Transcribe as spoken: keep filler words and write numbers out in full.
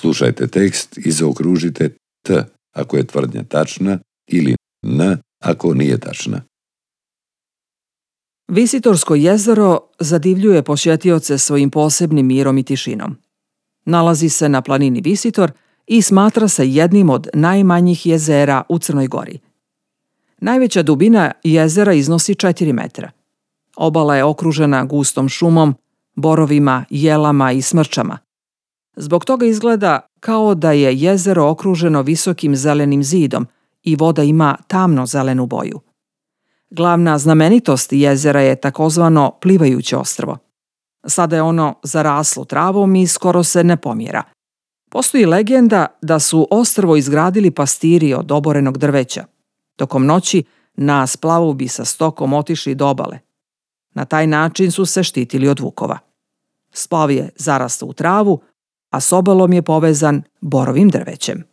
Slušajte tekst i zaokružite T ako je tvrdnja tačna ili N ako nije tačna. Visitorsko jezero zadivljuje posjetioce svojim posebnim mirom i tišinom. Nalazi se na planini Visitor i smatra se jednim od najmanjih jezera u Crnoj Gori. Najveća dubina jezera iznosi četiri metra. Obala je okružena gustom šumom, borovima, jelama i smrčama. Zbog toga izgleda kao da je jezero okruženo visokim zelenim zidom i voda ima tamno zelenu boju. Glavna znamenitost jezera je takozvano plivajuće ostrvo. Sada je ono zaraslo travom i skoro se ne pomjera. Postoji legenda da su ostrvo izgradili pastiri od oborenog drveća. Tokom noći na splavu sa stokom otišli do obale. Na taj način su se štitili od vukova. Splav je zarastao u travu, a s obalom je povezan borovim drvećem.